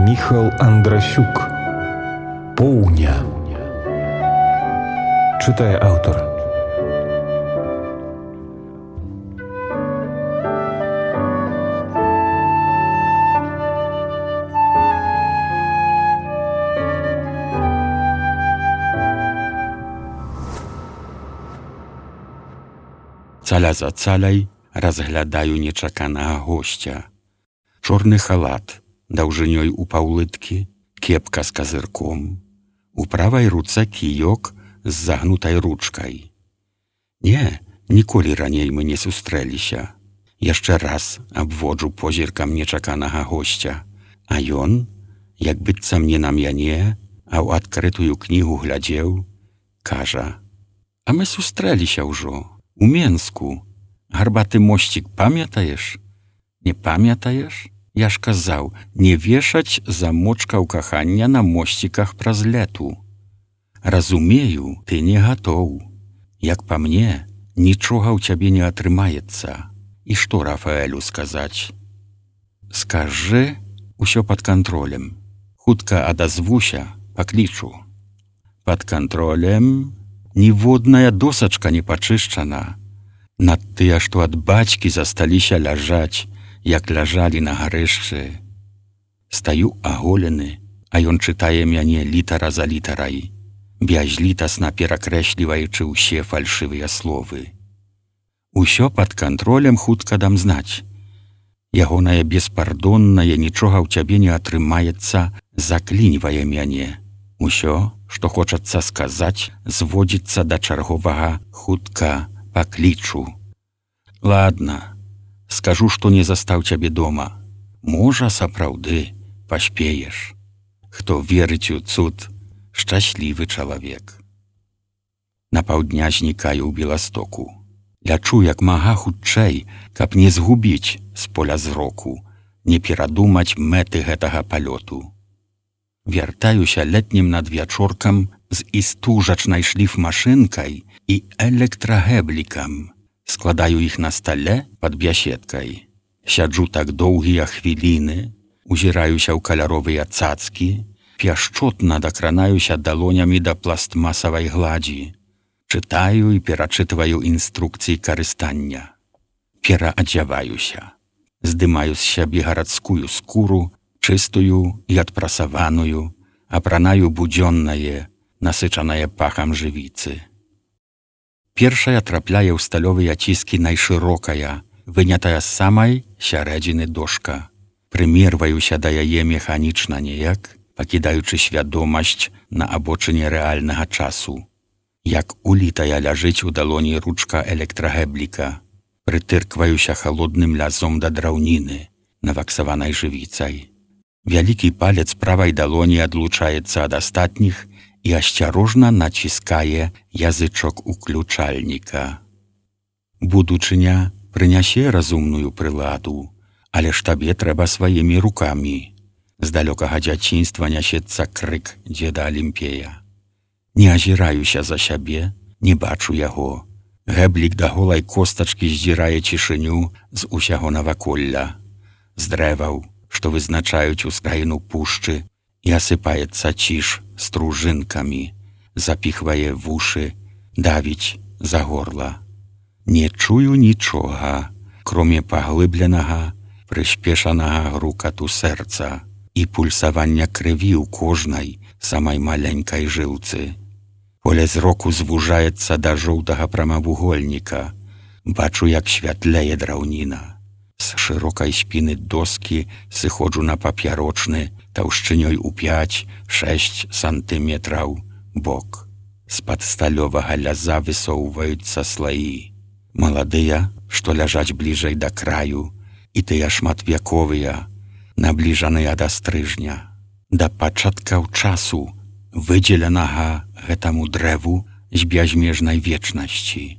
Міхал Андрасюк. Поўня. Чытае аўтар. Цаля за цаляй разглядаю нечаканага госця. Чорны халат, даўжынёй у паўлыткі, кепка з казырком, у правай руцэ кіёк з загнутай ручкай. Не, ніколі раней мы не сустрэліся. Яшчэ раз абводжу позіркам нечаканага госця, а ён, як быццам не на мяне, а ў адкрытую кнігу глядзеў, кажа: «А мы сустрэліся ўжо, у Менску. Гарбаты мосцік памятаеш? Не памятаеш? Я ж казаў, не вешаць замочкаў кахання на мосціках праз лету. Разумею, ты не гатоў. Як па мне, нічога ў цябе не атрымаецца. І што Рафаэлю сказаць? Скажы, усё пад кантролем. Хутка адазвуся, паклічу. Пад кантролем ніводная досачка не пачышчана. Над тыя, што ад бацькі засталіся ляжаць, як ляжалі на гарышчы. Стаю аголены, а ён чытае мяне літара за літарай, бязлітасна перакрэсліваючы ўсе фальшывыя словы. Усё пад кантролем, хутка дам знаць. Ягонае беспардоннае нічога ў цябе не атрымаецца, заклінівае мяне. Усё, што хочацца сказаць, зводзіцца да чарговага хутка паклічу. Ладно, скажу, што не застаў цябе дома. Можа, сапраўды паспееш. Хто верыць у цуд, шчаслівы чалавек. На паўдня знікаю ў Беластоку. Лячу як мага хутчэй, каб не згубіць з поля зроку, не перадумаць мэты гэтага палёту. Вяртаюся летнім надвячоркам з істужачнай шліфмашынкай і электрагэблікам. Складаю іх на стале пад бяседкай. Сяджу так доўгія хвіліны, узіраюся ў каляровыя цацкі, пяшчотна дакранаюся далонямі да пластмасавай гладзі. Чытаю і перачытваю інструкцыі карыстання. Пераадзяваюся. Здымаю з сябе гарадскую скуру, чыстую і адпрасаваную, апранаю будзённае, насычанае пахам жывіцы. Першая трапляе ў сталёвыя ціскі найшырокая, вынятая з самай сярэдзіны дошка. Прымерваюся да яе механічна неяк, пакідаючы свядомасць на абочыне рэальнага часу. Як улітая ляжыць у далоні ручка электрагэбліка. Прытыркваюся халодным лязом да драўніны, наваксаванай жывіцай. Вялікі палец правай далоні адлучаецца ад астатніх і асцярожна націскае язычок уключальніка. Будучыня прынясе разумную прыладу, але ж табе трэба сваімі рукамі. З далёкага дзяцінства нясецца крык дзеда Алімпея. Не азіраюся за сябе, не бачу яго. Гэблік да голай костачкі здзірае цішыню з усяго наваколля. З дрэваў, што вызначаюць ускраіну пушчы, і асыпаецца ціш стружынкамі, запіхвае вушы, давіць за горла. Не чую нічога, кроме паглыбленага, прышпешанага грукату сэрца і пульсавання крыві ў кожнай самай маленькай жылцы. Поле зроку звужаецца да жоўтага прамавугольніка. Бачу, як святлее драўніна. З шырокай спіны доскі сыходжу на папярочны, таўшчынёй у 5-6 сантыметраў бок. З-пад сталёвага ляза высоўваюцца слаі. Маладыя, што ляжаць бліжэй да краю, і тыя шматвяковыя, набліжаныя да стрыжня. Да пачаткаў часу, выдзеленага гэтаму дрэву з бязмежнай вечнасці.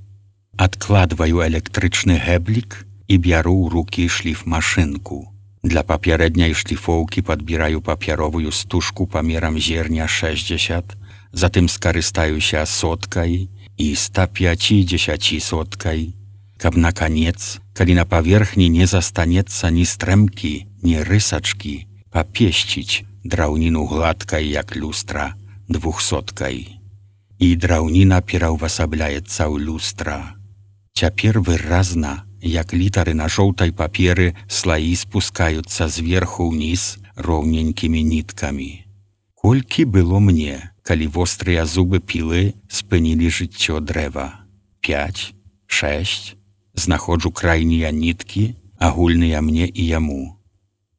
Адкладваю электрычны гэблік і бяру ў рукі шліфмашынку. Для папярэдняй шліфоўкі падбіраю папяровую стужку памерам зерня 60, затым скарыстаюся соткай і 150 соткай, каб наканец, калі на паверхні не застанецца ні стрэмкі, ні рысачкі, папесціць драўніну гладкай, як люстра, 200-кай. І драўніна пераўвасабляецца ў люстра. Цяпер выразна, як літары на жоўтай паперы, слаі спускаюцца зверху ўніз роўненькімі ніткамі. Колькі было мне, калі вострыя зубы пілы спынілі жыццё дрэва? 5, 6. Знаходжу крайнія ніткі, агульныя мне і яму.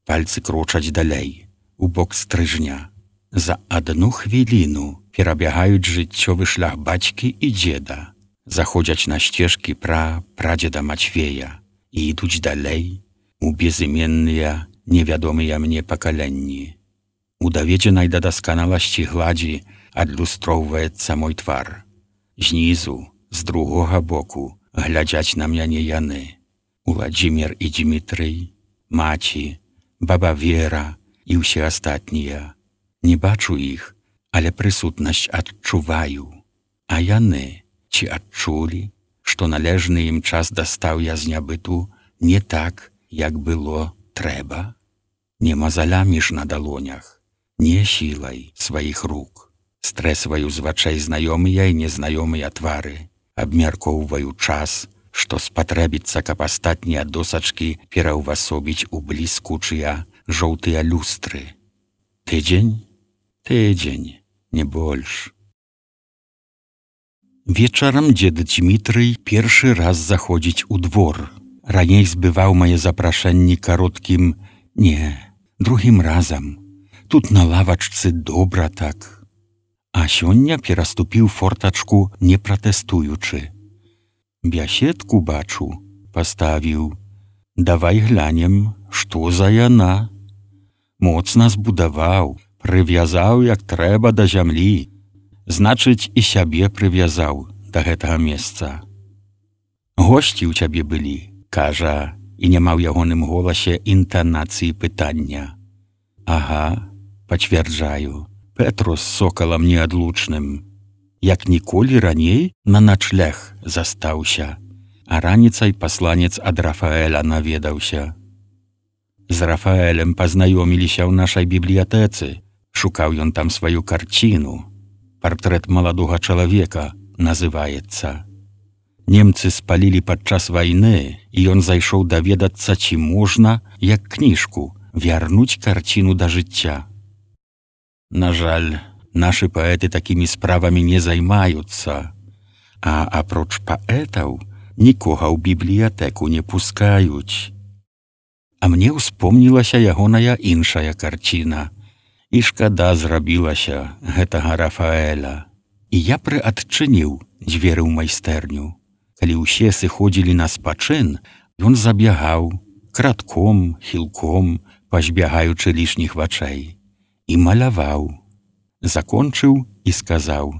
Пальцы крочаць далей, у бок стрыжня. За 1 хвіліну перабягаюць жыццёвы шлях бацькі і дзеда. Заходзяць на сцежкі прадзеда Мацвея і ідуць далей у безыменныя, невядомыя мне пакаленні. У даведзенай да дасканаласці гладзі адлюстроўваецца мой твар. Знізу, з другога боку, глядзяць на мяне яны. Уладзімір і Дзмітрый, маці, баба Вера і ўсе астатнія. Не бачу іх, але прысутнасць адчуваю. А яны, ці адчулі, што належны ім час дастаў я з нябыту не так, як было трэба? Не мазалямі ж на далонях, не сілай сваіх рук. Стрэсваю з вачэй знаёмыя і незнаёмыя твары, абмяркоўваю час, што спатрэбіцца, каб астатнія досачкі пераўвасобіць у бліскучыя жоўтыя люстры. Тыдзень? Тыдзень, не больш. Вечарам дзед Дзмітрый першы раз заходзіць у двор. Раней збываў мае запрашэнні кароткім «не», другім разам. Тут на лавачцы добра так. А сёння пераступіў фортачку, не пратэстуючы. Бяседку, бачу, паставіў. Давай глянем, што за яна. Моцна збудаваў, прывязаў, як трэба, да зямлі. Значыць, і сябе прывязаў да гэтага месца. Госці ў цябе былі, кажа, і няма ў ягоным голасе інтанацыі пытання. Ага, пацвярджаю, Петро з сокалам неадлучным. Як ніколі раней на начлег застаўся, а раніцай пасланец ад Рафаэля наведаўся. З Рафаэлем пазнаёміліся ў нашай бібліятэцы, шукаў ён там сваю карціну. Партрэт маладога чалавека называецца. Немцы спалілі падчас вайны, і ён зайшоў даведацца, ці можна, як кніжку, вярнуць карціну да жыцця. На жаль, нашы паэты такімі справамі не займаюцца, а апроч паэтаў нікога ў бібліятэку не пускаюць. А мне ўспомнілася ягоная іншая карціна, і шкада зрабілася гэтага Рафаэля. І я прыадчыніў дзверы ў майстэрню. Калі ўсе сыходзілі на спачын, ён забягаў, кратком, хілком, пазбягаючы лішніх вачэй, і маляваў. Закончыў і сказаў: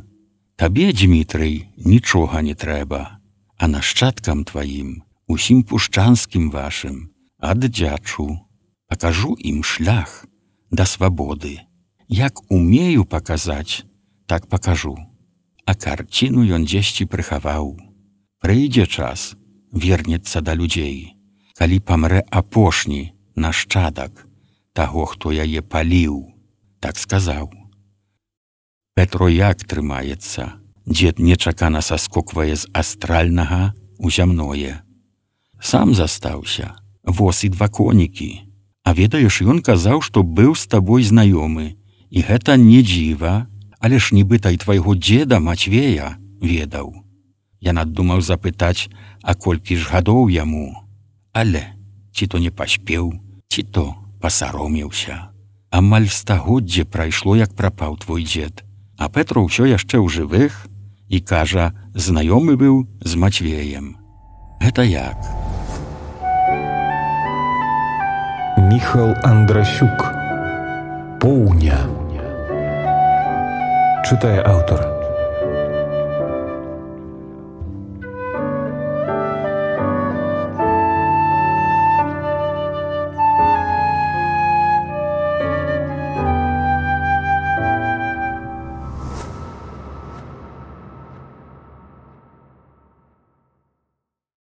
«Табе, Дзмітрый, нічога не трэба, а нашчадкам тваім, усім пушчанскім вашым, аддзячу, пакажу ім шлях да свабоды. Як умею паказаць, так пакажу». А карціну ён дзесьці прыхаваў. Прыйдзе час, вернецца да людзей, калі памрэ апошні нашчадак таго, хто яе паліў, так сказаў. Петро як трымаецца? Дзед нечакана саскоквае з астральнага ў зямное. Сам застаўся, воз і 2 конікі. А ведаеш, ён казаў, што быў з табой знаёмы, і гэта не дзіва, але ж нібыта і твайго дзеда Мацвея ведаў. Я надумаў запытаць, а колькі ж гадоў яму, але ці то не паспеў, ці то пасаромеўся. Амаль стагоддзе прайшло, як прапаў твой дзед, а Петро ўсё яшчэ ў жывых і кажа, знаёмы быў з Мацвеем. Гэта як? Міхал Андрасюк. Поўня. Чытае аўтар.